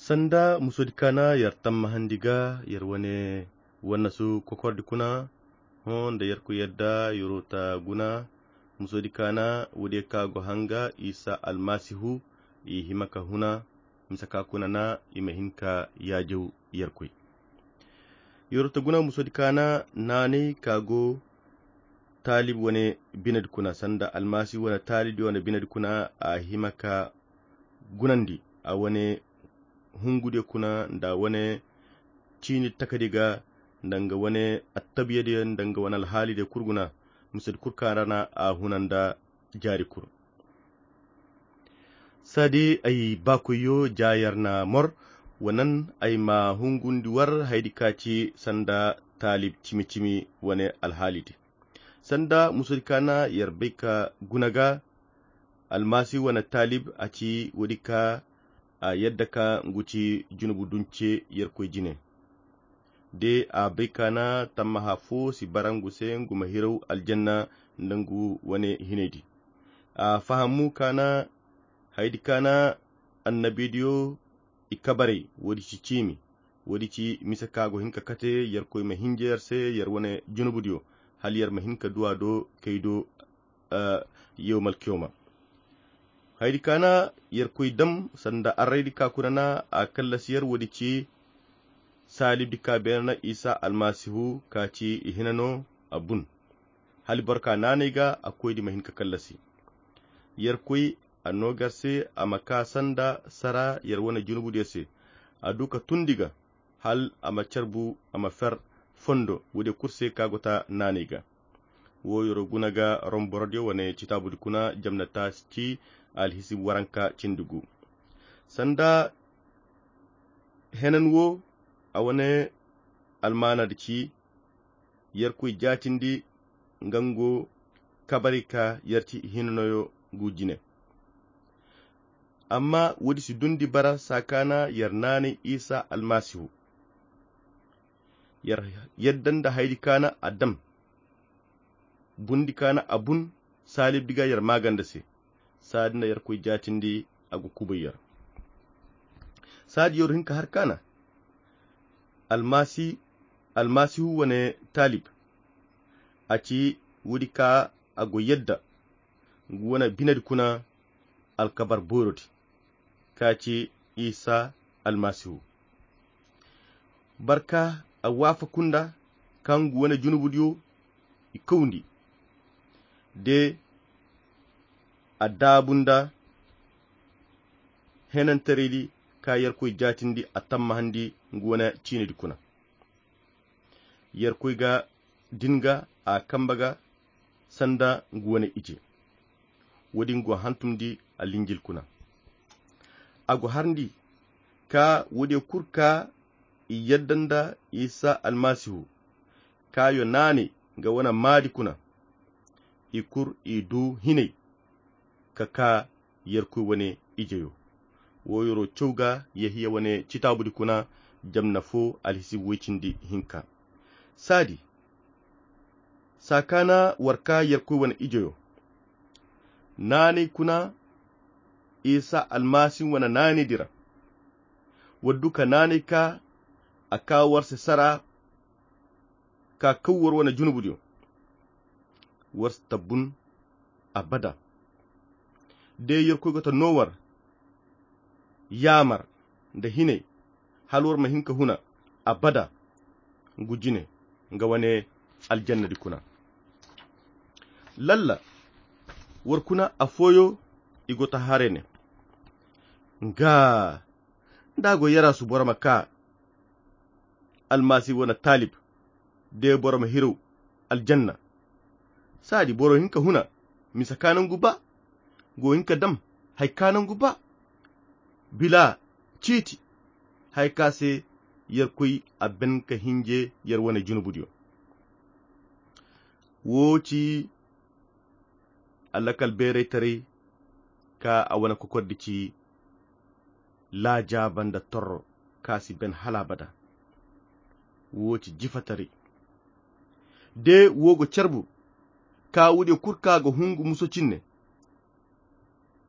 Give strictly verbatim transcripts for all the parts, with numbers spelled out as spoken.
Sanda musodi kaana yer tammahandi ga yer wane wannasu kokordi kuna, hõ nda yerkoy yadda yer'o ta guna. Musodi kaana woodiyo ka go hanga isa almasihu, i hima ka huna misa ka kuna na i ma hin ka yaajaw yerkoy. Yer'o ta guna musodi kaana naanay ka go taalib wane binedi kuna sanda almasihu wane taalib wane binedi kuna a hima ka gunandi a wane hungudiyo kuna nda wane ciini takadi ga nda nga wane attabiyadiyo nda nga wane alhaalidiyo kul guna. Misedi kul kaŋ ra na a huna nda jaari kul. Saadi ay baakoyyo ja yer na mor wa nan ay ma hungundi war haydi ka ci sanda taalib cimi-cimi wane alhaalidi. Sanda musodi kaana yer bay ka guna ga almasihu wane taalib a ci woodi ka a yadda ka ngu ci junubu dunce yerkoy jine. De a bay kaana tammaha fo si bara ngu se ngu ma hiraw aljanna nda ngu wane hinaydi. A fahamu kaana haydi kaana annabidiyo i kabaray woodi ci ciimi. Woodi ci mise ka go hin ka kate yerkoy ma hinja yer se yer wane junubudiyo hala yer ma hin ka du a do kay do. Yawmal kiyoma haydi kaana yerkoy dam sanda arraydi ka kuna na a kallasi yer woodi ci saalibdi ka beene na isa almasihu ka ci i hina no a bun. Hala boro ka naanay ga a koydi ma hin ka kallasi yerkoy a noogar se a ma ka sanda sara yer wane junubudiyo se a du ka tundi ga hal a ma carbu a ma fer fondo woodiyo kul se ka go ta naanay ga. Wo yer'o guna ga rom borodiyo wane citaabudi kuna jamna taasi ci alhisibu waranka cindi gu sanda henan wo a wane almaanadi ci yerkoy jaatindi nga ngu kabari ka yer ci hinanoyo ngu jine. Amma woodi si dundi bara saa kaana yer naanay isa almasihu yer yadda nda haydi kaana a dam bundi kaana a bun saalibdi ga yer maaganda se. Saadi nda yerkoy jaatindi a go kubay yer saadi yer hin ka har kaana almasihu wane taalib a ci woodi ka a go yadda ngu wane binedi kuna alkabar boorodi ka ci isa almasihu barka a waafaku nda ka ngu wane junubudiyo i kawndi de a daabu nda henantaraydi ka yerkoy jaatindi a tammahandi ngu wane ciinidi kuna yerkoy ga din ga a kamba ga sanda ngu wane ije woodi ngu hantumdi alinjil kuna a go harndi ka woodiyo kul ka i yadda nda isa almasihu ka yo naanay nga wane maadi kuna i kul i du hinay ka ka yerkoy wane ijeyo wo yer'o caw ga yehiya wane citaabudi kuna jamna fo alhisibu woy cindi hinka saadi saa kaana war ka yerkoy wane ijeyo naanay kuna isa almasi wane naanaydi ra war du ka naanay ka a ka war se sara ka kaw war wane junubudiyo war si tabbun abada de yerkoy go ta no war yaamar nda hinay hala war ma hin ka huna abada ngu jine nga wane aljannadi kuna lalla war kuna afooyo i go ta haray ne nga nda a go yaraasu boro ma ka almasi wane taalib de boro ma hiraw aljanna saadi boro hin ka huna misa ka nangu ba go hin ka dam hari ka nangu ba bila ciiti hari ka se yerkoy a ben ka hinje yer wane junubudiyo wo ci allakal beeraytaray ka a wane kokordi ci laajaaba nda torro ka si ben hala abada wo ci jifataray de wo go carbu ka woodiyo kul ka ga hungu muso cinne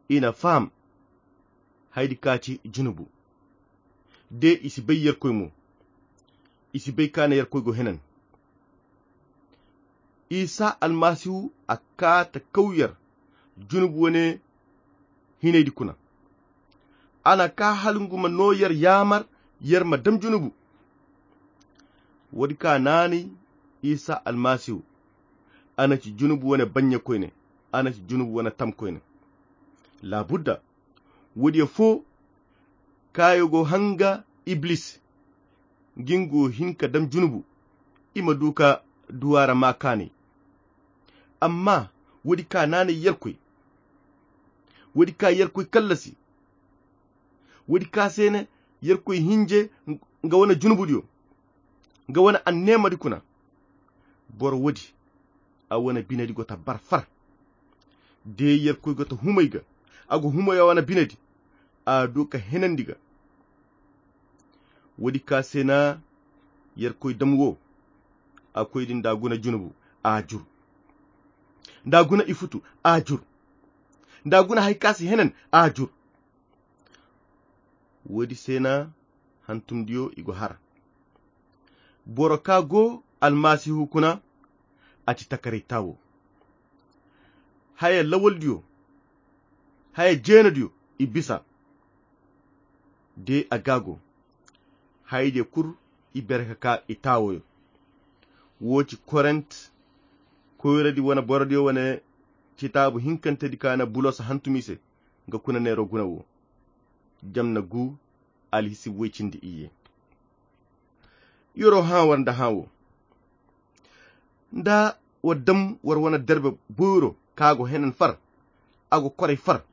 i na faham haydi ka ci junubu De i si bay Yerkoy mo. I si bay ka ne Yerkoy go henan. Isa Almasihu a kaa ta kaw yer junubu wane hinaydi kuna. A na kaa hala ngu ma noo yer yaamar yer ma dam junubu. Woodi ka naanay Isa Almasihu, a na ci junubu wane baɲɲakoyne, a na ci junubu wane tamkoyne. Laabudda, woodiyo foo kaayo go hanga Iblis, ngi ngu hin ka dam junubu, i ma du ka duw'a ra maa kaanay. Amma woodi ka naanay Yerkoy, woodi ka Yerkoy kallasi, woodi ka se ne Yerkoy hinje nga wane junubudiyo, nga wane anneemadi kuna. Boro woodi, a wane binedi go ta bar far. De Yerkoy go ta humay ga, a go humay a wane binedi, a du ka henandi ga. Woodi ka se na Yerkoy dam wo, a koy din da guna junubu, a jur. Da guna i futu, a jur. Da guna hay ka si henan, a jur. Woodi se na hantumdiyo i go har. Boro ka go Almasihu kuna, a ci takaray taawo. Haya lawaldiyo, haya jeenadiyo i bisa. De a ga go, hayadiyo kul i bere ka kaa i taawoyo. Wo ci Korent koyradi wane borodiyo wane citaabu hinkantedi ka na Bulos hantum i se, nga kuna neero guna wo. Jamna gu, alhisibu way cindi iyye. Yer'o hã war nda hã wo. Nda war dam war wane derbe boyro ka go henan far, a go koray far.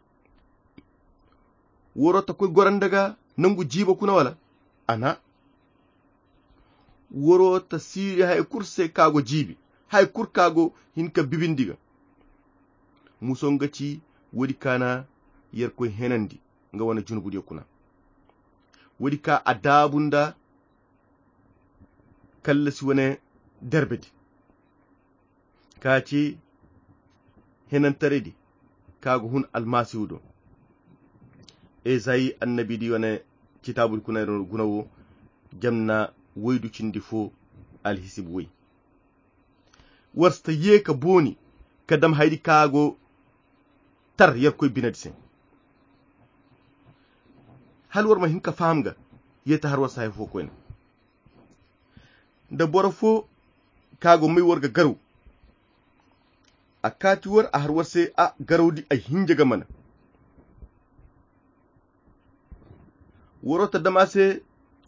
War'o ta koy goro nda ga nangu jiibo kuna wala? A na. War'o ta siiri hay kul se ka go jiibi, hay kul ka go hin ka bibindi ga. Muso nga ci woodi ka na Yerkoy henandi nga wane junubudiyo kuna. Woodi ka a daabu nda kallasi wane derbedi. Ka ci henantaraydi ka go hun Almasihu do. Ezayi annabidi wane citaabudi kuna guna wo, jamna waydu cindi fo, alhisibu way. War si ta ye ka booni ka dam haydi ka go tar Yerkoy binedi se. Hala war ma hin ka faham ga, ye ta har war si hay fo koyne. Da boro fo ka go may war ga garaw, a kaati war, a har war se a garawdi ay hinja ga mana. War'o ta dam a se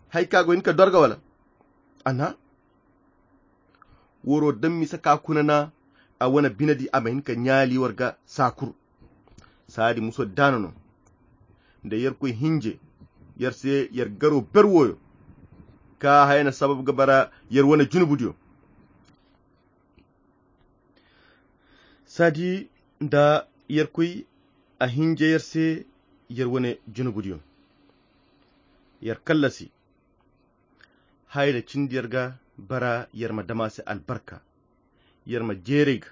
hay ka go hin ka dorga wala? A na. War'o dam misa ka kuna na a wane binedi a ma hin ka ɲaali war ga saakur. Saadi muso daana no. Nda Yerkoy hinje, yer se yer garo ber woyo. Ka haya na sabab ga bara yer wane junubudiyo. Saadi nda Yerkoy a hinje yer se yer wane junubudiyo. Yer kallasi. Haya na cindi yer ga bara yer ma dam a se albarka. Yer ma jeeray ga.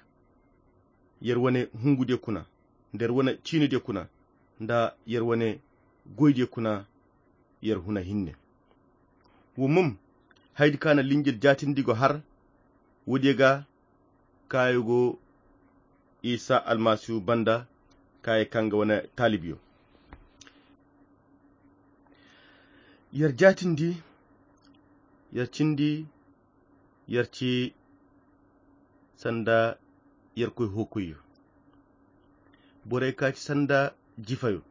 Yer wane hungudiyo kuna, nda yer wane ciinidiyo kuna, nda yer wane goydiyo kuna, yer huna hinne. Wo mum, haydi ka na linjil jaatindi go har, woodiyo ga kaayo go Isa Almasihu banda, kaayo ka nga wane taalibiyo. Yer jaatindi, yer cindi, yer ci sanda Yerkoy hookoyyo. Borey ka ci sanda jifayo,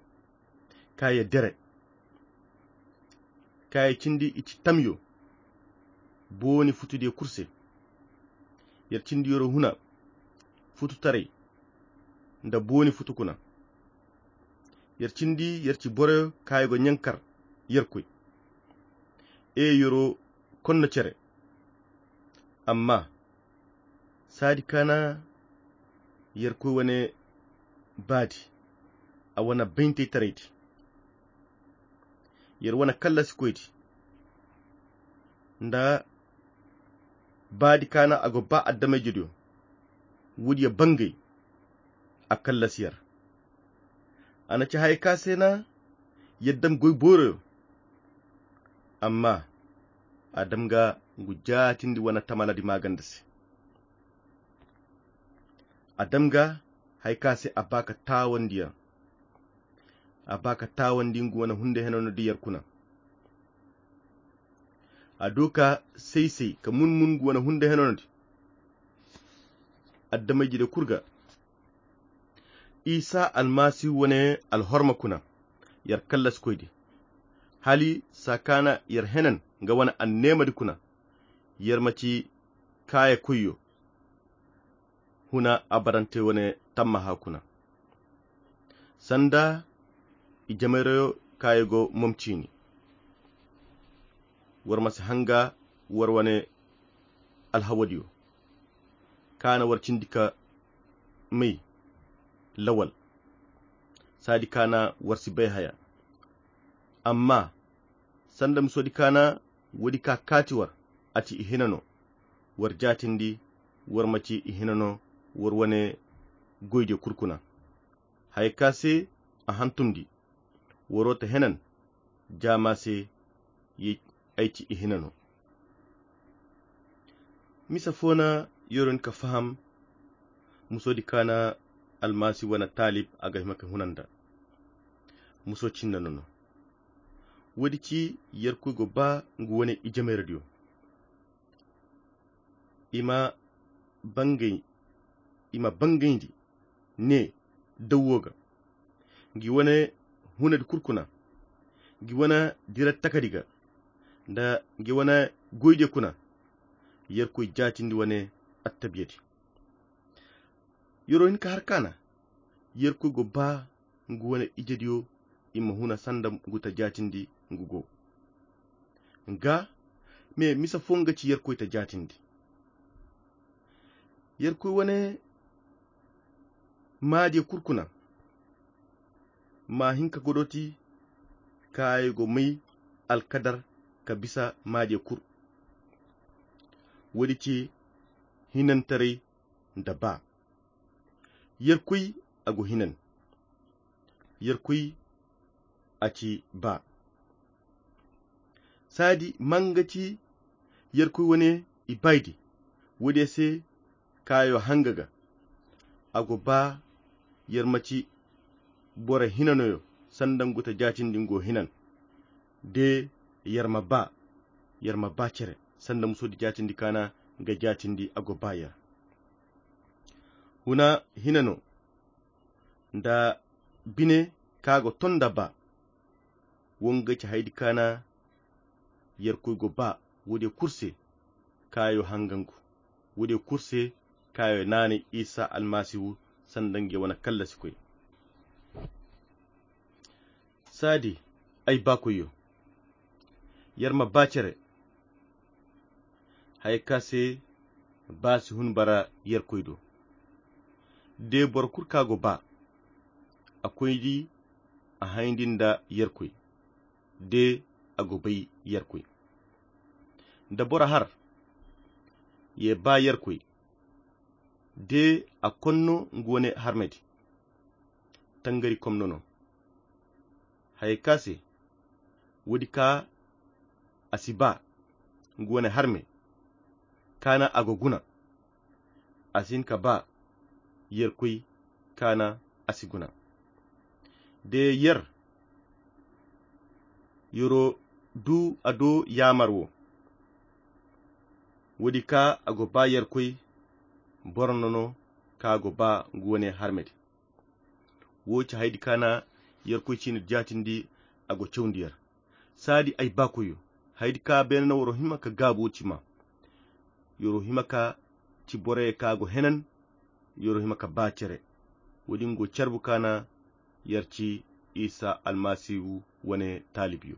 ka ye dere, ka ye cindi i ci tamyo, booni futudiyo kul se. Yer cindi yer'o huna fututaray nda booni futu kuna. Yer cindi yer ci boroyo ka ye go ɲankar Yerkoy. E yer'o konno cere. Amma saadi ka na Yerkoy wane baadi, a wane bayntaytaraydi, yer wane kallasikoydi, nda baadi ka na a go ba adamay-ijediyo, woodiyo bangay, a kallasi yer. A na ci haya ka se na yer dam goy booroyo, Amma a dam ga ngu jaatindi wane tamaladi maaganda se. A dam ga hari ka se a ba ka taawandiyaŋ. A ba ka taawandi ngu wane hunde henono di yer kuna. A du ka say-say ka mun-mun ngu wane hunde henono di adamey jide kul ga. Isa almasihu wane alhorma kuna yer kallasikoy di, hali saa kaana yer henan nga wane anneemadi kuna, yer ma ci kaayakoyyo huna abarante wane tammaha kuna, sanda i jamayrayo kaayo go mom ciini. War ma si hanga war wane alhawadiyo kaana war cindi ka may lawal. Saadi kaana war si bay haya. Amma sanda musodi kaana woodi ka kaati war, a ci i hina no. War jaatindi war ma ci i hina no war wane goydiyo kul kuna. Haya ka se a hantumndi, waro ta henan jaama se, ay ci i hina no. Misa fo na yoron ka faham musodi kaana almasi wane taalib a ga hima ka hunanda. Muso cinna no no. Woodi ci yerkoy go ba ngu wane ijameeradiyo. I ma bangay i ma bangayndi ne dawwo ga ngi wane hunadi kul kuna, ngi wane dira takadi ga nda ngi wane goydiyo kuna. Yerkoy jaatindi wane attabiyadi. Yero hin ka har kaana yerkoy go ba ngu wane ijediyo i ma huna sanda ngu ta jaatindi ngu go nga me misa fo nga ci yerkoy ta jaatindi. Yerkoy wane maadiyo kul kuna ma hin ka godoti kaayo go may alkadar ka bisa maadiyo kul. Woodi ci hinantaray nda ba yerkoy a go hinan. Yerkoy a ci ba saadi manga ci yerkoy wane i baydi. Woodiyo se kaayo hanga ga a go ba yer ma ci boro hinanoyo sanda ngu ta jaatindi ngu go hinan. De yer ma ba yer ma ba cere sanda musodi jaatindi kaana nga jaatindi a go ba yer. Huna hinano nda bine ka go ton nda ba. Wo nga ci haydi kaana yerkoy go ba woodiyo kul se kaayo hangangu woodiyo kul se kaayo naanay isa almasihu sanda nga wane kallasikoy. Saadi ay baakoyyo yer ma ba cere. Haya ka se ba si hun bara yerkoy do. De boro kul ka go ba a koyndi a hayndi nda yerkoy de a go bay yerkoy. Da boro har ye ba yerkoy de a konno ngu wane harmedi tangari komno no. Haya ka se woodi ka a si ba ngu wane harme kaana a go guna. A si hin ka ba yerkoy kaana a si guna. De yer yero du a do yaamar wo woodi ka a go ba yerkoy boro no no ka go ba ngu wane harmedi. Wo ci haydi kaana yerkoy ciina jaatindi a go cawndi yer. Saadi ay baakoyyo haydi ka beene na woro hima ka gaabu wo ci ma. Yoro hima ka ci boroyo ka go henan. Yoro hima ka ba cere woodi ngo carbu kaana yer ci isa almasihu wane taalibyo.